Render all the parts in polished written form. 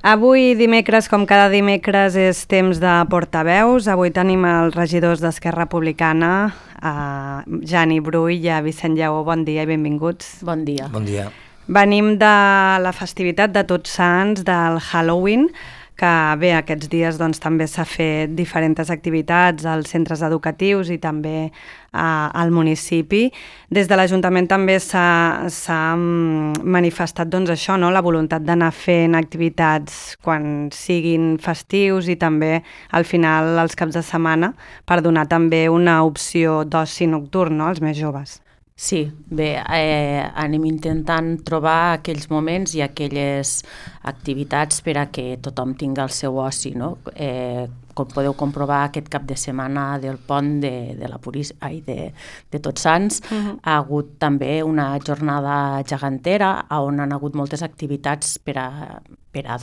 Avui dimecres, com cada dimecres, és temps de portaveus. Avui tenim els regidors d'Esquerra Republicana, a Jani Brull i a Vicent Lleó. Bon dia i benvinguts. Bon dia. Bon dia. Venim de la festivitat de Tots Sants, del Halloween, que bé, aquests dies doncs, també s'ha fet diferents activitats als centres educatius i també al municipi. Des de l'Ajuntament també s'ha manifestat doncs, això, no? La voluntat d'anar fent activitats quan siguin festius i també al final els caps de setmana per donar també una opció d'oci nocturn, no? Als més joves. Sí, bé, anem intentant trobar aquells moments i aquelles activitats per a que tothom tingui el seu oci, no? Com podeu comprovar, aquest cap de setmana del pont de Tots Sants ha hagut també una jornada gegantera on han hagut moltes activitats per a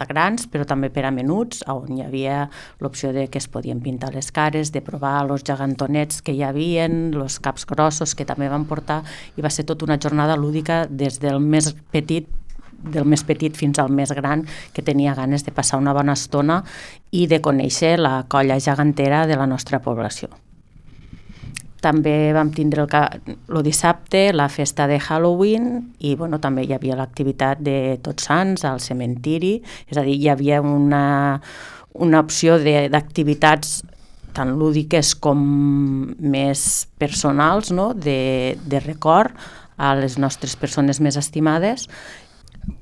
grans, però també per a menuts, on hi havia l'opció de que es podien pintar les cares, de provar els gegantonets que hi havia, els caps grossos que també van portar, i va ser tota una jornada lúdica des del més petit fins al més gran, que tenia ganes de passar una bona estona i de conèixer la colla gegantera de la nostra població. També vam tindre el dissabte la festa de Halloween i també hi havia l'activitat de Tots Sants al cementiri, és a dir, hi havia una opció d'activitats tan lúdiques com més personals, no? de record a les nostres persones més estimades.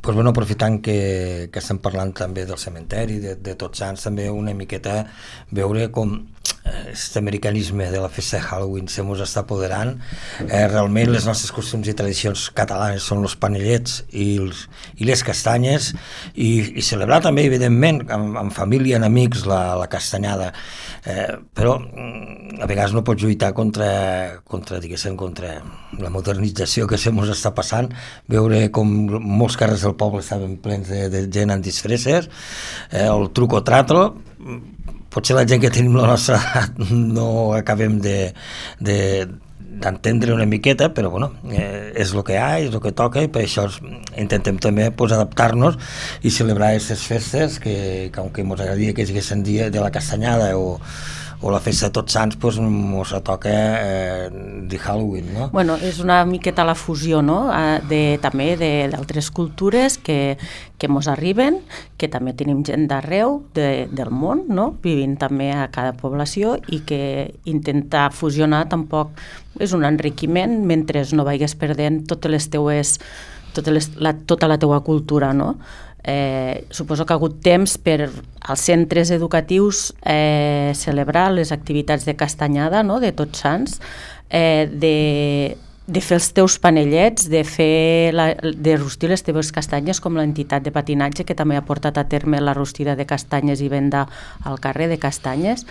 Pues aprofitant que estem parlant també del cementeri, de Tots Sants, també una miqueta veure com aquest americanisme de la festa de Halloween se mos està apoderant. Realment les nostres costums i tradicions catalanes són els panellets i les castanyes, i celebrar també, evidentment, amb família, en amics, la castanyada. Però a vegades no pots lluitar contra la modernització que se mos està passant, veure com molts carrers del poble estaven plens de gent amb disfresses, el truc o trato. Potser la gent que tenim la nostra edat no acabem d'entendre una miqueta, però és el que hi ha, és el que toca, i per això intentem també adaptar-nos i celebrar aquestes festes que aunque ens agradaria que siguessin dia de la castanyada o la festa de Tots Sants, ens toca de Halloween, no? És una miqueta la fusió, no? També d'altres cultures que ens arriben, que també tenim gent d'arreu del món, no? Vivint també a cada població, i que intentar fusionar tampoc és un enriquiment mentre no vagis perdent tota la teua cultura, no? Suposo que ha hagut temps per als centres educatius celebrar les activitats de castanyada, no? De Tots Sants, de fer els teus panellets, de rostir les teves castanyes, com l'entitat de patinatge que també ha portat a terme la rostida de castanyes i venda al carrer de castanyes.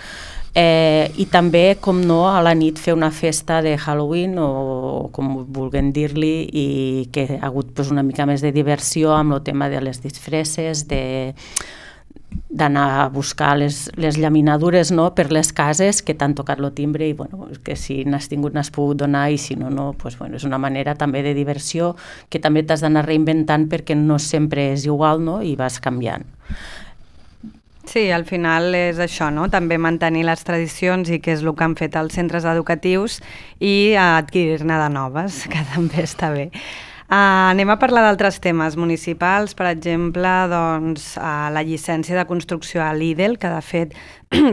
I també, com no, a la nit fer una festa de Halloween o com vulguem dir-li, i que ha hagut una mica més de diversió amb el tema de les disfresses, d'anar a buscar les llaminadures, no? Per les cases que t'han tocat el timbre, i que si n'has tingut n'has pogut donar, i si no, és una manera també de diversió que també t'has d'anar reinventant, perquè no sempre és igual, no? I vas canviant. Sí, al final és això, no? També mantenir les tradicions, i que és el que han fet els centres educatius, i adquirir-ne de noves, que també està bé. Anem a parlar d'altres temes municipals, per exemple, la llicència de construcció a Lidl, que de fet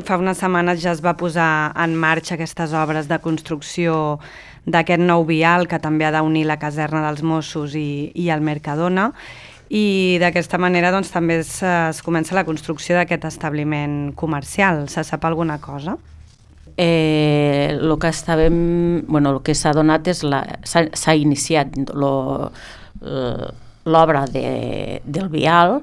fa unes setmanes ja es va posar en marxa aquestes obres de construcció d'aquest nou vial que també ha d'unir la caserna dels Mossos i el Mercadona, i d'aquesta manera també es comença la construcció d'aquest establiment comercial. Se sap alguna cosa? El que s'ha donat és s'ha iniciat l'obra del vial,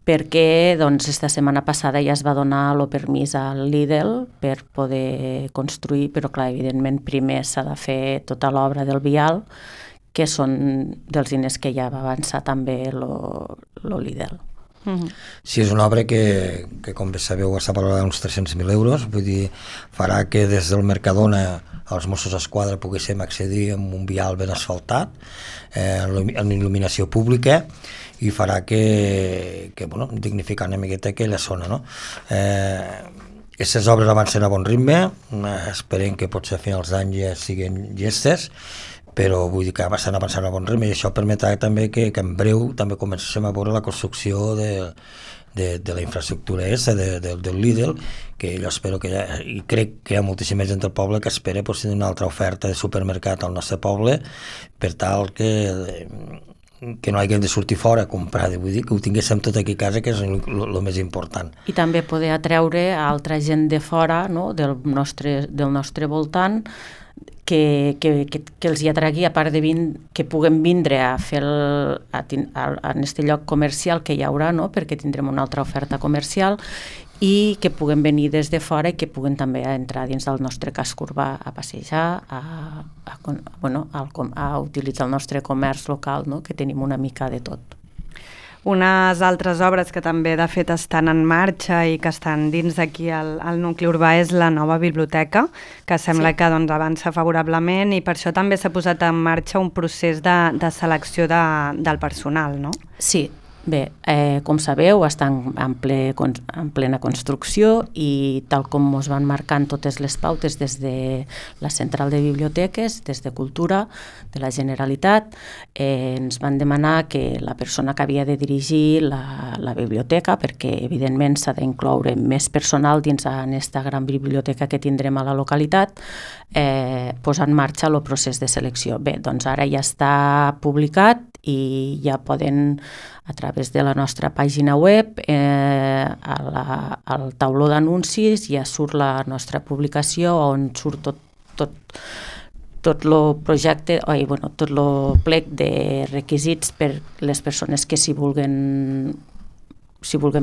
perquè esta setmana passada ja es va donar el permís al Lidl per poder construir, però clar, evidentment primer s'ha de fer tota l'obra del vial, que són dels diners que ja va avançar també el Lidl. Sí, és una obra que com bé sabeu, està valorada uns 300.000 euros, vull dir, farà que des del Mercadona els Mossos d'Esquadra poguéssim accedir amb un vial ben asfaltat, en il·luminació pública, i farà que bueno, dignificar una miqueta aquella zona, no? Aquestes obres avancen a bon ritme, esperem que potser a finals d'any ja siguin llestes, però vull dir que estan avançant a bon ritme, i això permetrà també que en breu també comencem a veure la construcció de la infraestructura del Lidl, que jo espero que i crec que hi ha moltíssima gent del poble que espera tenir una altra oferta de supermercat al nostre poble, per tal que no haguem de sortir fora a comprar, vull dir que ho tinguéssim tot aquí a casa, que és el més important. I també poder atreure a altra gent de fora, no? del nostre voltant, que els hi atragui, a part de que puguem vindre a fer en aquest lloc comercial que hi haurà, no? Perquè tindrem una altra oferta comercial, i que puguem venir des de fora i que puguen també entrar dins del nostre casc urbà a passejar, a utilitzar el nostre comerç local, no? Que tenim una mica de tot. Unes altres obres que també de fet estan en marxa i que estan dins d'aquí al nucli urbà és la nova biblioteca, que sembla que doncs, avança favorablement, i per això també s'ha posat en marxa un procés de selecció del personal, no? Sí. Bé, com sabeu, està en plena construcció, i tal com ens van marcant totes les pautes des de la central de biblioteques, des de Cultura, de la Generalitat, ens van demanar que la persona que havia de dirigir la biblioteca, perquè evidentment s'ha d'incloure més personal dins aquesta gran biblioteca que tindrem a la localitat, posar en marxa el procés de selecció. Bé, doncs ara ja està publicat i ja poden, a través de la nostra pàgina web, al tauló d'anuncis ja surt la nostra publicació, on surt tot el projecte, tot el plec de requisits per les persones que s'hi vulguin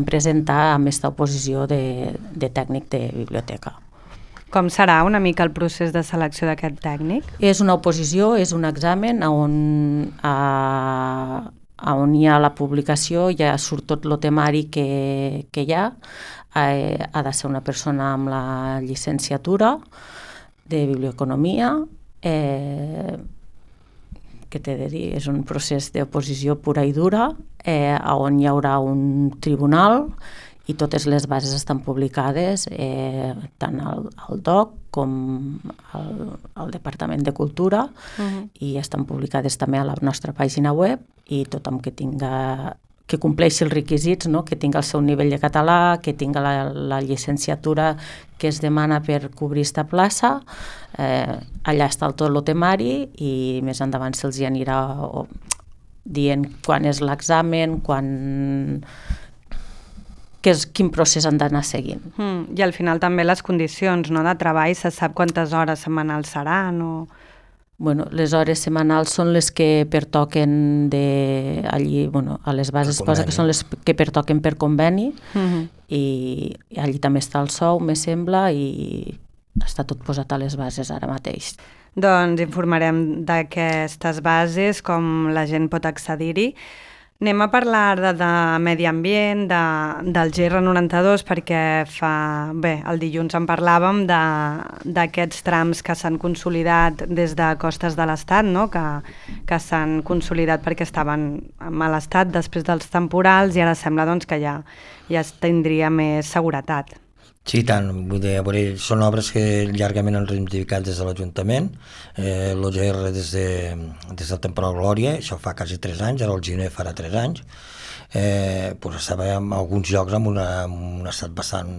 presentar amb aquesta oposició de tècnic de biblioteca. Com serà una mica el procés de selecció d'aquest tècnic? És una oposició, és un examen on hi ha la publicació, ja surt tot el temari que hi ha. Ha de ser una persona amb la llicenciatura de biblioeconomia, que t'he de dir, és un procés d'oposició pura i dura, on hi haurà un tribunal, i totes les bases estan publicades tant al DOC com al Departament de Cultura, i estan publicades també a la nostra pàgina web, i tothom que compleixi els requisits, no? Que tinga el seu nivell de català, que tinga la llicenciatura que es demana per cobrir aquesta plaça, allà està tot el temari, i més endavant se'ls anirà dient quan és l'examen, quin procés han d'anar seguint. I al final també les condicions, no, de treball, se sap quantes hores setmanals seran o... Bueno, les hores setmanals són les que pertoquen allí, a les bases posa que són les que pertoquen per conveni, i allí també està el sou, me sembla, i està tot posat a les bases ara mateix. Doncs informarem d'aquestes bases, com la gent pot accedir-hi. Anem a parlar de medi ambient, del GR92, perquè el dilluns en parlàvem d'aquests trams que s'han consolidat des de Costes de l'Estat, no? que s'han consolidat perquè estaven en mal estat després dels temporals, i ara sembla doncs, que ja tindria més seguretat. Sí, tant. Vull dir, són obres que llargament han reivindicat des de l'Ajuntament, l'OGR des del temporal Glòria, això fa quasi 3 anys, ara el Giner farà 3 anys, estava en alguns llocs en un estat bastant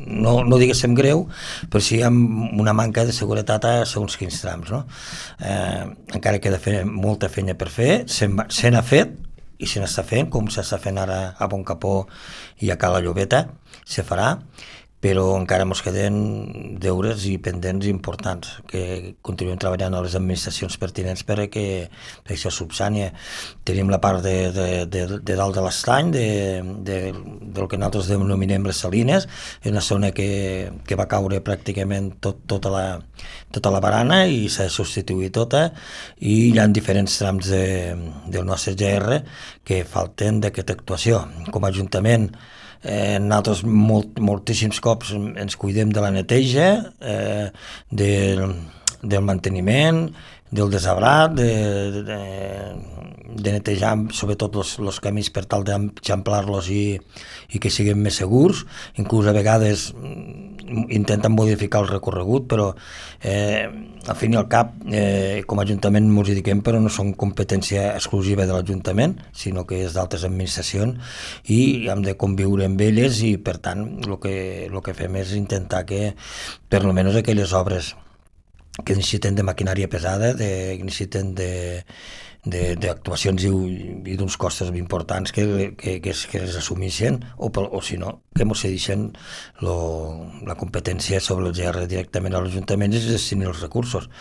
no diguéssim greu, però sí amb una manca de seguretat a segons quins trams, no? Encara queda molta feina per fer, se n'ha fet, i se n'està fent, com s'està fent ara a Boncapó i a Cala Llobeta, se farà, però encara ens queden deures i pendents importants, que continuem treballant a les administracions pertinents perquè això subsània. Tenim la part de dalt de l'estany, de del que nosaltres denominem les Salines, és una zona que va caure pràcticament tota la barana i s'ha substituït tota, i hi ha diferents trams del nostre GR que falten d'aquesta actuació. Com a Ajuntament, nosaltres moltíssims cops ens cuidem de la neteja, del manteniment, del desabrat, de netejar sobretot els camins per tal d'eixamplar-los i que siguin més segurs. Inclús a vegades intenten modificar el recorregut, però al fin i al cap com a Ajuntament ens hi dediquem, però no són competència exclusiva de l'Ajuntament, sinó que és d'altres administracions i hem de conviure amb elles, i per tant el que fem és intentar que per almenys aquelles obres que necessiten de maquinària pesada, que necessiten d'actuacions i d'uns costos importants que es assumeixen, o si no, que ens cedeixen la competència sobre el GR directament a l'Ajuntament i es destinin els recursos,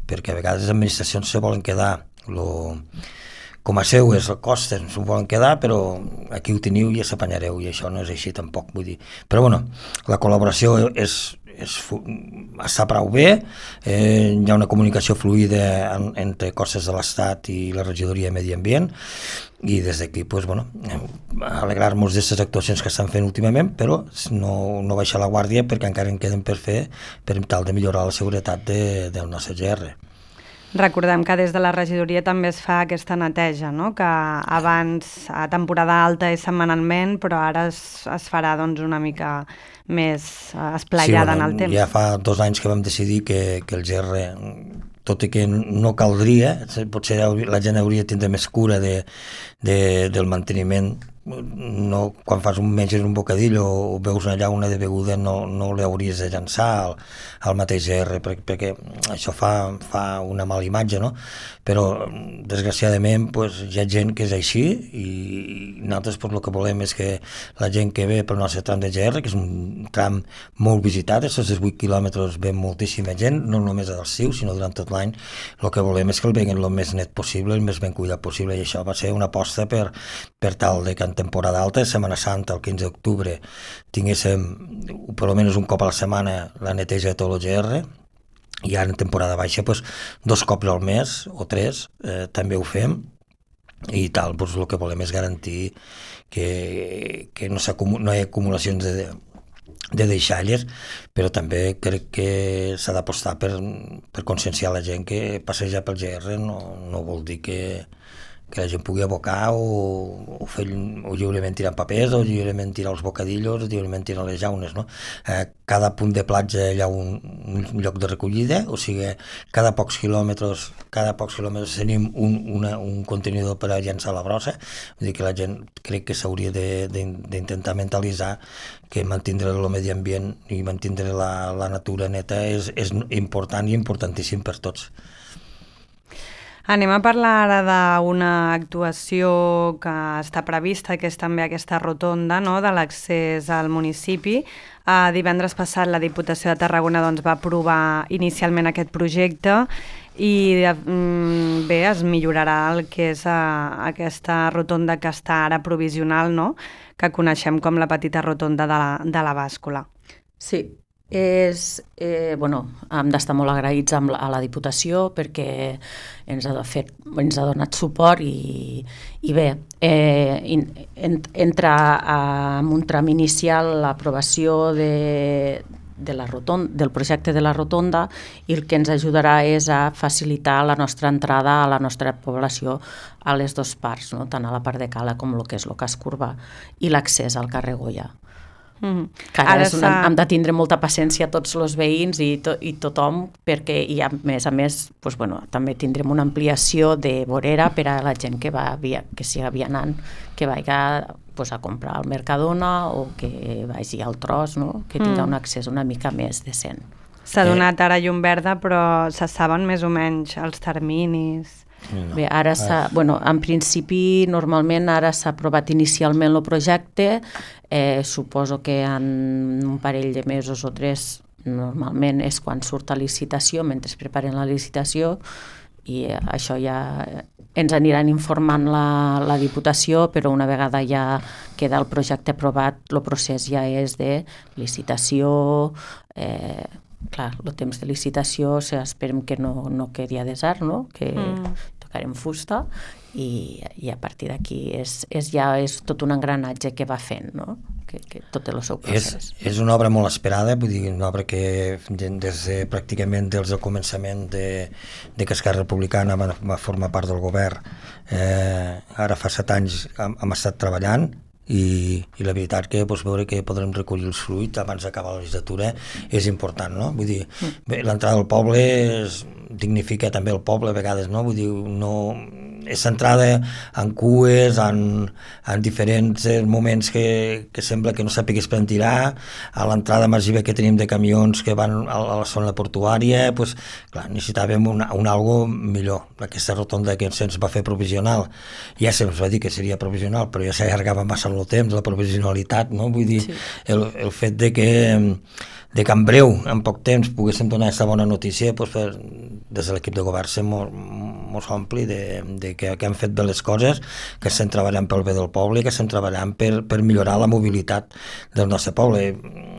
perquè a vegades les administracions se volen quedar com a seu és el cost, s'ho volen quedar, però aquí ho teniu i s'apanyareu, i això no és així tampoc, vull dir. Però bueno, la col·laboració està prou bé, hi ha una comunicació fluida entre costes de l'Estat i la regidoria de Medi Ambient, i des d'aquí alegrar-nos d'aquestes actuacions que estan fent últimament, però no baixar la guàrdia, perquè encara en queden per fer per tal de millorar la seguretat del nostre GR. Recordem que des de la regidoria també es fa aquesta neteja, no? Que abans a temporada alta és setmanalment, però ara es farà una mica més esplaiada en el temps. Ja fa 2 anys que vam decidir que el GR, tot i que no caldria, potser la gent hauria de tindre més cura del manteniment. No, quan menges un bocadillo o veus una llauna de beguda no l'hauries de llançar al mateix GR, perquè això fa una mala imatge, no? Però desgraciadament hi ha gent que és així, i nosaltres el que volem és que la gent que ve pel nostre tram de GR, que és un tram molt visitat, aquests 8 quilòmetres ve moltíssima gent, no només a l'estiu sinó durant tot l'any, el que volem és que el veguen el més net possible, el més ben cuidat possible, i això va ser una aposta per tal de que en temporada alta, Setmana Santa, el 15 d'octubre, tinguéssim per almenys un cop a la setmana la neteja de tot el GR, i ara en temporada baixa 2 cops al mes o 3 també ho fem, i tal, el que volem és garantir que no hi ha acumulacions de deixalles, però també crec que s'ha d'apostar per conscienciar la gent que passejar pel GR no vol dir que la gent pugui abocar o lliurement tirar papers, o lliurement tirar els bocadillos, o lliurement tirar les llaunes, no? Cada punt de platja hi ha un lloc de recollida, o sigui, cada pocs quilòmetres tenim un contenidor per a llançar la brossa. Vull dir que la gent crec que s'hauria d'intentar mentalitzar que mantenir el medi ambient i mantenir la natura neta és important i importantíssim per tots. Anem a parlar ara d'una actuació que està prevista, que és també aquesta rotonda, no?, de l'accés al municipi. Divendres passat la Diputació de Tarragona va aprovar inicialment aquest projecte i bé, es millorarà el que és aquesta rotonda que està ara provisional, no?, que coneixem com la petita rotonda de la Bàscula. Sí. Hem d'estar molt agraïts a la Diputació perquè ens ha donat suport i bé, entra en un tram inicial l'aprovació del projecte de la rotonda, i el que ens ajudarà és a facilitar la nostra entrada a la nostra població a les 2 parts, no? Tant a la part de Cala com el que és el casc urbà, i l'accés al carrer Goya. Que ara hem de tindre molta paciència tots els veïns i tothom, perquè a més també tindrem una ampliació de vorera per a la gent que siga vianant, que vagi a comprar al Mercadona o que vagi al tros, no? Que tingui un accés una mica més decent. S'ha donat ara llum verda, però se saben més o menys els terminis? Bé, ara en principi normalment ara s'ha aprovat inicialment el projecte, suposo que en un parell de mesos o 3 normalment és quan surt a licitació, mentre preparen la licitació, i això ja ens aniran informant la Diputació, però una vegada ja queda el projecte aprovat, el procés ja és de licitació, clar, el temps de licitació esperem que no quedi a desar, no? Que tocarem fusta i a partir d'aquí ja és tot un engranatge que va fent, no? Que tot el seu procés. És una obra molt esperada, vull dir, una obra que pràcticament des del començament de que Esquerra Republicana va formar part del govern, ara fa 7 anys hem estat treballant i la veritat que veure que podrem recollir els fruits abans d'acabar la legislatura és important, no? Vull dir, l'entrada al poble dignifica també el poble a vegades, no? Vull dir, no és centrada en cues, en diferents moments que sembla que no sàpigues per on tirar, a l'entrada massiva que tenim de camions que van a la zona portuària, doncs, clar, necessitàvem un algo millor. Aquesta rotonda que se'ns va fer provisional, ja se'ns va dir que seria provisional, però ja s'allargava massa el temps, la provisionalitat, no? Vull dir, el fet de que en breu, en poc temps, poguéssim donar aquesta bona notícia, doncs, des de l'equip de govern ser molt ampli de que hem fet bé les coses, que estem treballant pel bé del poble, que estem treballant per millorar la mobilitat del nostre poble.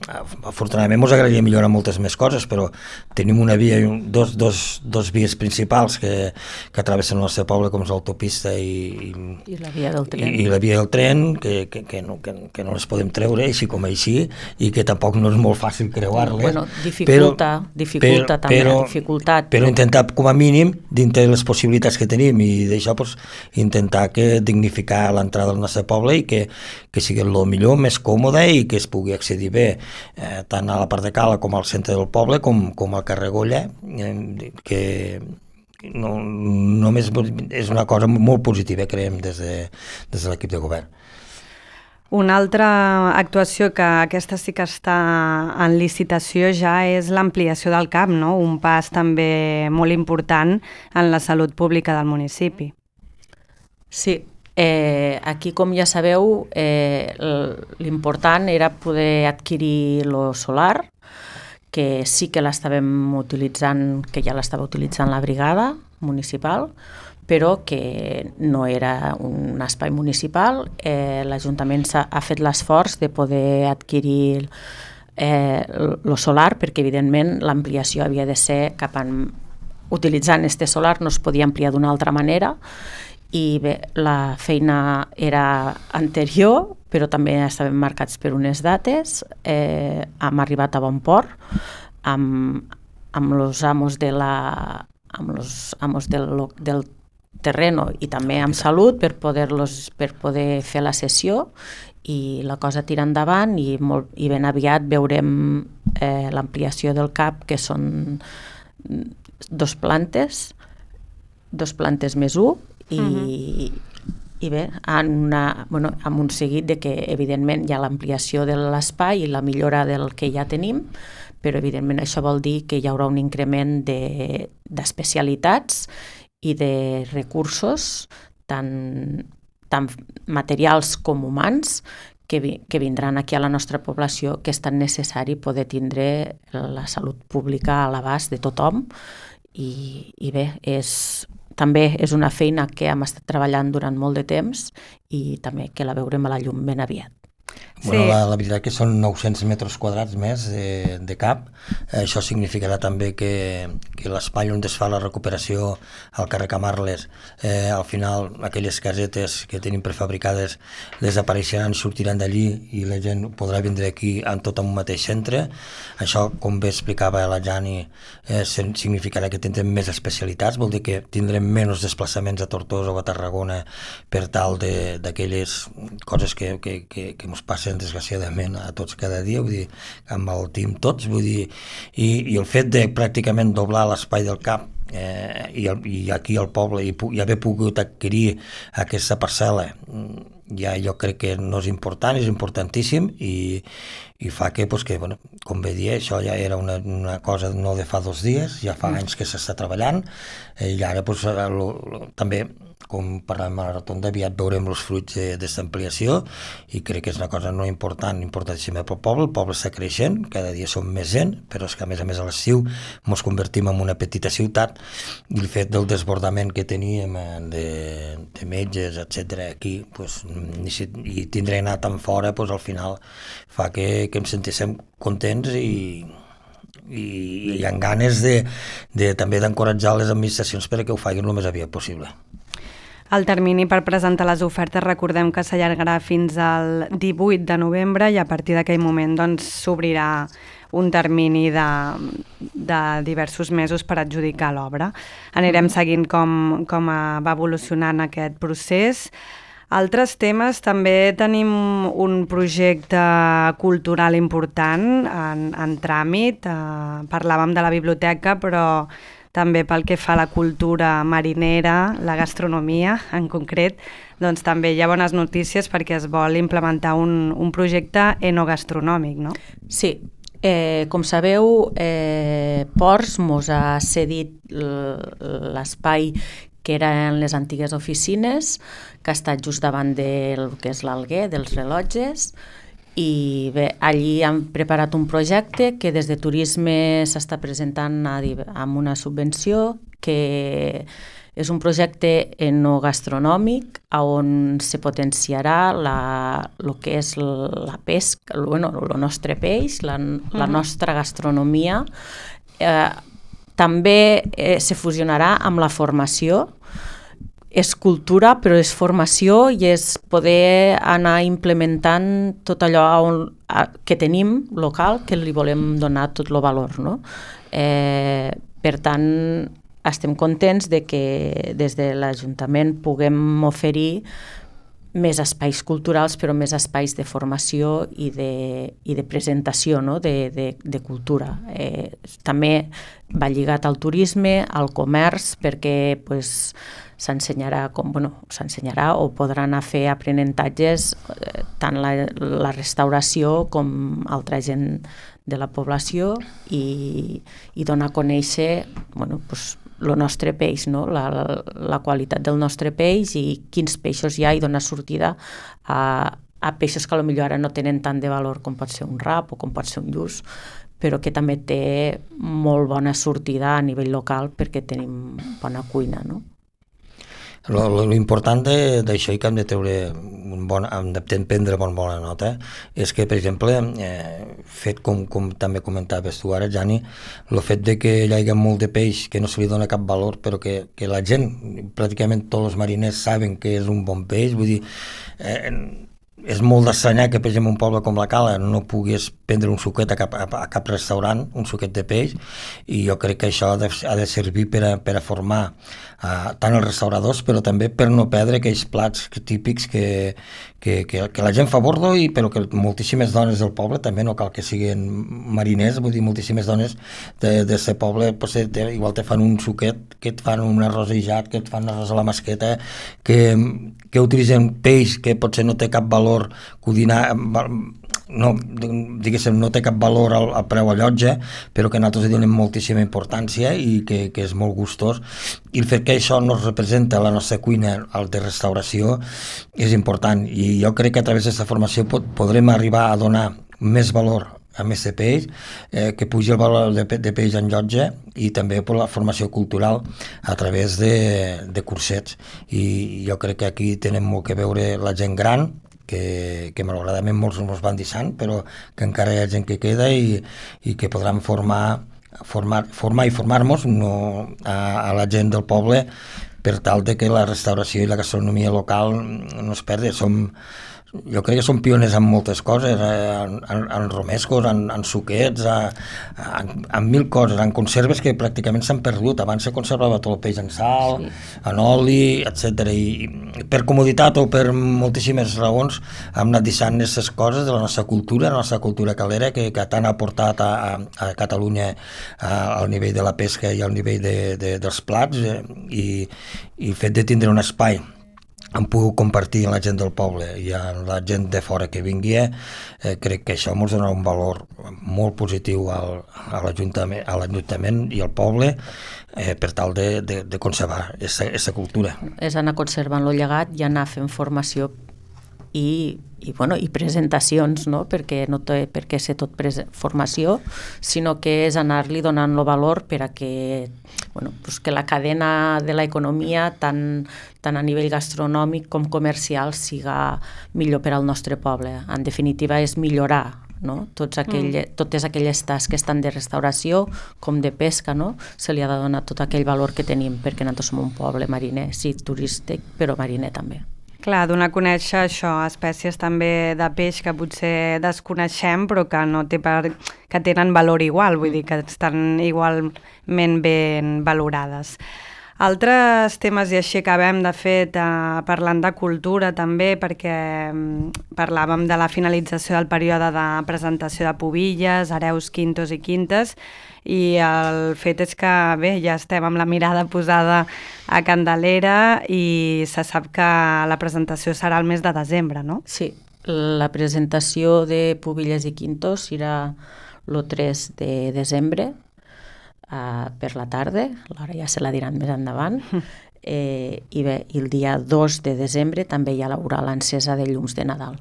Afortunadament ens agradaria millorar moltes més coses, però tenim una via, dos vies principals que travessen el nostre poble, com és l'autopista i la via del tren, i la via del tren que no les podem treure així com així, i que tampoc no és molt fàcil creuar-les. Bueno, dificulta també. Però intentar, com a mínim, dintre de les possibilitats que tenim, i d'això intentar dignificar l'entrada del nostre poble i que sigui el millor, més còmode, i que es pugui accedir bé tant a la part de Cala com al centre del poble com al carrer Golla, que només és una cosa molt positiva, creiem, des de l'equip de govern. Una altra actuació, que aquesta sí que està en licitació ja, és l'ampliació del CAP, no? Un pas també molt important en la salut pública del municipi. Sí, aquí, com ja sabeu, l'important era poder adquirir el solar, que sí que l'estàvem utilitzant, que ja l'estava utilitzant la brigada municipal, però que no era un espai municipal. L'Ajuntament ha fet l'esforç de poder adquirir el solar, perquè evidentment l'ampliació havia de ser utilitzant este solar, no es podia ampliar d'una altra manera, i bé, la feina era anterior, però també estàvem marcats per unes dates. Hem arribat a bon port amb els amos del terreno i també amb salut per poder fer la sessió, i la cosa tira endavant, i ben aviat veurem l'ampliació del CAP, que són 2 plantes més 1, i bé, amb un seguit de que evidentment hi ha l'ampliació de l'espai i la millora del que ja tenim, però evidentment això vol dir que hi haurà un increment d'especialitats i de recursos, tant materials com humans, que vindran aquí a la nostra població, que és tan necessari poder tindre la salut pública a l'abast de tothom. I bé, també és una feina que hem estat treballant durant molt de temps, i també que la veurem a la llum ben aviat. Bueno, la veritat que són 900 metres quadrats més de CAP. Això significarà també que l'espai on es fa la recuperació al carrer Camarles, al final aquelles casetes que tenim prefabricades desapareixeran, sortiran d'allí, i la gent podrà vindre aquí en tot un mateix centre. Això, com bé explicava la Jani, significarà que tindrem més especialitats, vol dir que tindrem menys desplaçaments a Tortosa o a Tarragona per tal d'aquelles coses que ens passen desgraciadament a tots cada dia, vull dir, amb el team tots, vull dir, i el fet de pràcticament doblar l'espai del CAP i aquí al poble, i haver pogut adquirir aquesta parcel·la, ja jo crec que no és important, és importantíssim, i fa que, com bé dir, això ja era una cosa no de fa 2 dies, ja fa anys que s'està treballant, i ara també com parlem a la rotonda, aviat veurem els fruits d'aquesta ampliació i crec que és una cosa no important, importantíssima pel poble. El poble està creixent, cada dia som més gent, però és que a més a l'estiu ens convertim en una petita ciutat i el fet del desbordament que teníem de metges, etc aquí, pues, i tindre anar tan fora, pues, al final fa que ens sentíssim contents i amb ganes també d'encoratjar les administracions perquè ho facin el més aviat possible. El termini per presentar les ofertes recordem que s'allargarà fins al 18 de novembre i a partir d'aquell moment s'obrirà un termini de diversos mesos per adjudicar l'obra. Anirem seguint com va evolucionant aquest procés. Altres temes, també tenim un projecte cultural important en tràmit. Parlàvem de la biblioteca, però també pel que fa a la cultura marinera, la gastronomia en concret, doncs també hi ha bones notícies perquè es vol implementar un projecte enogastronòmic, no? Sí, com sabeu, Ports mos ha cedit l'espai que eren les antigues oficines, que ha estat just davant del que és l'Alguer, dels rellotges, i bé, allí han preparat un projecte que des de turisme s'està presentant amb una subvenció, que és un projecte enogastronòmic on se potenciarà el que és la pesca, el nostre peix, la nostra gastronomia. També se fusionarà amb la formació. És cultura, però és formació i és poder anar implementant tot allò que tenim local, que li volem donar tot el valor, no? Per tant, estem contents de que des de l'Ajuntament puguem oferir més espais culturals, però més espais de formació i de presentació, no? de cultura. També va lligat al turisme, al comerç, perquè s'ensenyarà o podran fer aprenentatges tant la restauració com altra gent de la població i donar a conèixer el nostre peix, no? la qualitat del nostre peix i quins peixos hi ha i donar sortida a peixos que potser ara no tenen tant de valor com pot ser un rap o com pot ser un lluç, però que també té molt bona sortida a nivell local perquè tenim bona cuina, no? L'important d'això i que hem de prendre bona nota és que, per exemple, fet com també comentaves tu ara, Jani, el fet de que hi hagi molt de peix que no se li dona cap valor, però que la gent, pràcticament tots els mariners saben que és un bon peix, vull dir, és molt d'estranyar que, per exemple, un poble com la Cala no pogués prendre un suquet a cap restaurant, un suquet de peix, i jo crec que això ha de servir per a formar tant els restauradors, però també per no perdre aquells plats típics que la gent fa a bordo, però que moltíssimes dones del poble, també no cal que siguin mariners, vull dir, moltíssimes dones d'aquest poble igual te fan un suquet, que et fan un arròs aïllat, que et fan un arròs a la masqueta, que utilitzen peix que potser no té cap valor cuinar, no té cap valor al preu a llotja, però que nosaltres hi donem moltíssima importància i que és molt gustós, i el fet que això no representa la nostra cuina de restauració és important, i jo crec que a través d'aquesta formació podrem arribar a donar més valor a més de peix, que pugi el valor de peix en llotja, i també per la formació cultural a través de cursets, i jo crec que aquí tenen molt que veure la gent gran, que malauradament molts ens van deixant, però que encara hi ha gent que queda i que podran formar i formar-nos a la gent del poble per tal de que la restauració i la gastronomia local no es perdi. Jo crec que som pioners en moltes coses, en romescos, en suquets, en mil coses, en conserves que pràcticament s'han perdut. Abans se conservava tot el peix en sal, en oli, etc. I per comoditat o per moltíssimes raons hem anat deixant aquestes coses de la nostra cultura calera, que tant ha portat a Catalunya al nivell de la pesca i al nivell dels plats, i el fet de tindre un espai hem pogut compartir amb la gent del poble i amb la gent de fora que vingui, crec que això ens donarà un valor molt positiu a l'Ajuntament i al poble per tal de conservar aquesta cultura. És anar conservant el llegat i anar fent formació i presentacions, no? Perquè no té per què ser tot formació, sinó que és anar-li donant el valor per a que, que la cadena de l'economia, tant a nivell gastronòmic com comercial, siga millor per al nostre poble. En definitiva, és millorar, no? Totes aquelles tasques tant de restauració com de pesca, no? Se li ha de donar tot aquell valor que tenim, perquè nosaltres som un poble mariner, sí, turístic, però mariner també. Clar, donar a conèixer això, espècies també de peix que potser desconeixem però que tenen valor igual, vull dir que estan igualment ben valorades. Altres temes, i així acabem de fet parlant de cultura també, perquè parlàvem de la finalització del període de presentació de pubilles, hereus, quintos i quintes, i el fet és que ja estem amb la mirada posada a Candelera i se sap que la presentació serà el mes de desembre, no? Sí, la presentació de pubilles i quintos serà el 3 de desembre, per la tarda, l'hora ja se la diran més endavant, i el dia 2 de desembre també hi haurà l'encesa de llums de Nadal.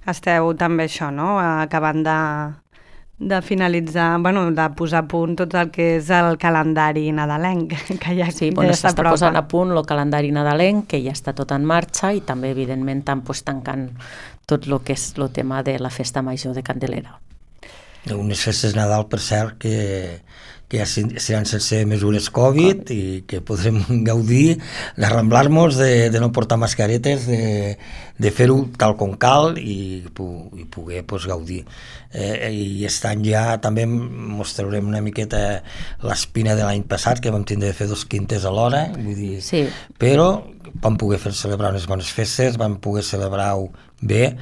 Esteu també això, no? Acabant de finalitzar, de posar a punt tot el que és el calendari nadalenc, que ja s'està posant a punt el calendari nadalenc, que ja està tot en marxa, i també, evidentment, tancant tot el que és el tema de la festa major de Candelera. Unes festes Nadal, per cert, que ja seran sense mesures Covid i que podrem gaudir d'arramblar-nos, de no portar mascaretes, de fer-ho tal com cal i poder gaudir. I aquest any ja també mostrarem una miqueta l'espina de l'any passat, que vam tindre de fer 2 quintes alhora, vull dir, sí. Però vam poder celebrar unes bones festes, vam poder celebrar-ho bé,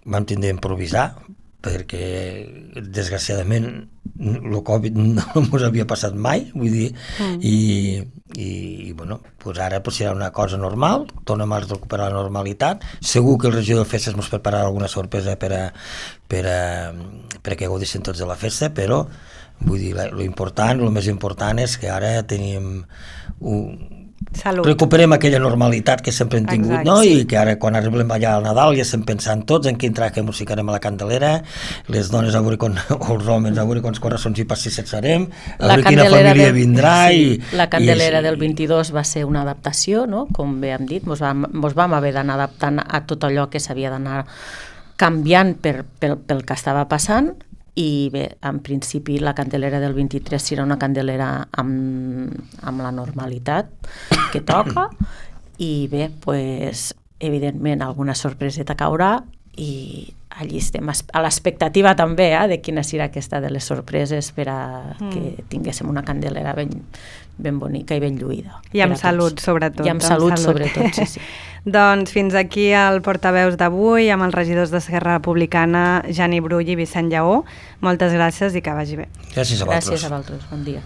vam tindre d'improvisar, perquè desgraciadament el Covid no ens havia passat mai, vull dir, i ara serà una cosa normal, tornem a recuperar la normalitat. Segur que el regidor de festes ens prepararà alguna sorpresa perquè gaudissin tots de la festa, però vull dir, el més important és que ara tenim recuperem aquella normalitat que sempre hem tingut. Exacte, no? Sí. I que ara quan arribem allà al Nadal ja estem pensant tots en quin traje musicarem a la Candelera, les dones o els homes a veure quants coraçons i passissets farem, a veure quina família vindrà. La Candelera del 22 va ser una adaptació, no? Com bé hem dit, ens vam haver d'anar adaptant a tot allò que s'havia d'anar canviant pel que estava passant. I bé, en principi la Candelera del 23 serà una Candelera amb la normalitat que toca, i bé, evidentment alguna sorpreseta caurà, i allí estem a l'expectativa també de quina serà aquesta de les sorpreses per a que tinguéssim una Candelera ben bonica i ben lluïda. I amb salut, sobretot. I amb salut, sobretot, sí. Doncs fins aquí el portaveus d'avui amb els regidors d'Esquerra Republicana, Jani Brull i Vicent Lleó. Moltes gràcies i que vagi bé. Gràcies a vosaltres. Gràcies a vosaltres, bon dia.